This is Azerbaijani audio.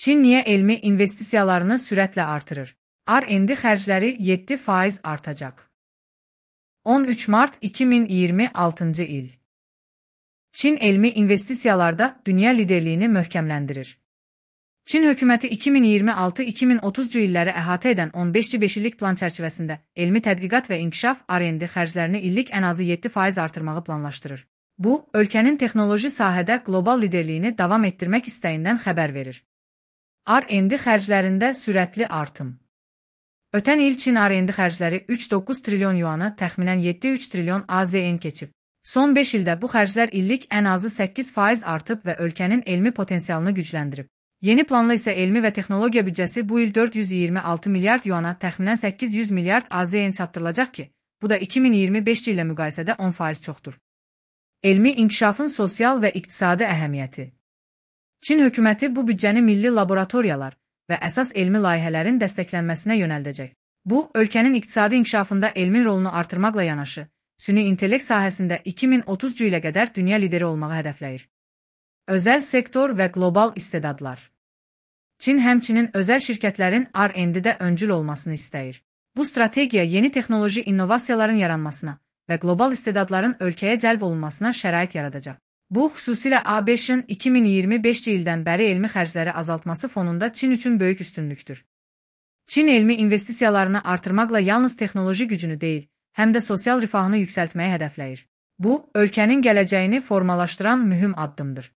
Çin niyə elmi investisiyalarını sürətlə artırır? R&D xərcləri 7% artacaq. 13 Mart 2026 il. Çin elmi investisiyalarda dünya liderliyini möhkəmləndirir. Çin hökuməti 2026-2030 illəri əhatə edən 15 illik plan çərçivəsində elmi tədqiqat və inkişaf R&D xərclərini illik ən azı 7% artırmağı planlaşdırır. Bu, ölkənin texnoloji sahədə qlobal liderliyini davam etdirmək istəyindən xəbər verir. R&D xərclərində sürətli artım. Ötən il Çin R&D xərcləri 3,9 trilyon yuanı, təxminən 7,3 trilyon AZN keçib. Son 5 ildə bu xərclər illik ən azı 8% artıb və ölkənin elmi potensialını gücləndirib. Yeni planla isə elmi və texnologiya büdcəsi bu il 426 milyard yuana, təxminən 800 milyard AZN çatdırılacaq ki, bu da 2025 ilə müqayisədə 10% çoxdur. Elmi inkişafın sosial və iqtisadi əhəmiyyəti. Çin hökuməti bu büdcəni milli laboratoriyalar və əsas elmi layihələrin dəstəklənməsinə yönəldəcək. Bu, ölkənin iqtisadi inkişafında elmin rolunu artırmaqla yanaşı, süni intellekt sahəsində 2030 ilə qədər dünya lideri olmağı hədəfləyir. Özəl sektor və qlobal istedadlar. Çin həmçinin özəl şirkətlərin R&D-də öncül olmasını istəyir. Bu strategiya yeni texnoloji innovasiyaların yaranmasına və qlobal istedadların ölkəyə cəlb olunmasına şərait yaradacaq. Bu, xüsusilə ABŞ-ın 2025 ildən bəri elmi xərcləri azaltması fonunda Çin üçün böyük üstünlükdür. Çin elmi investisiyalarını artırmaqla yalnız texnoloji gücünü deyil, həm də sosial rifahını yüksəltməyi hədəfləyir. Bu, ölkənin gələcəyini formalaşdıran mühüm addımdır.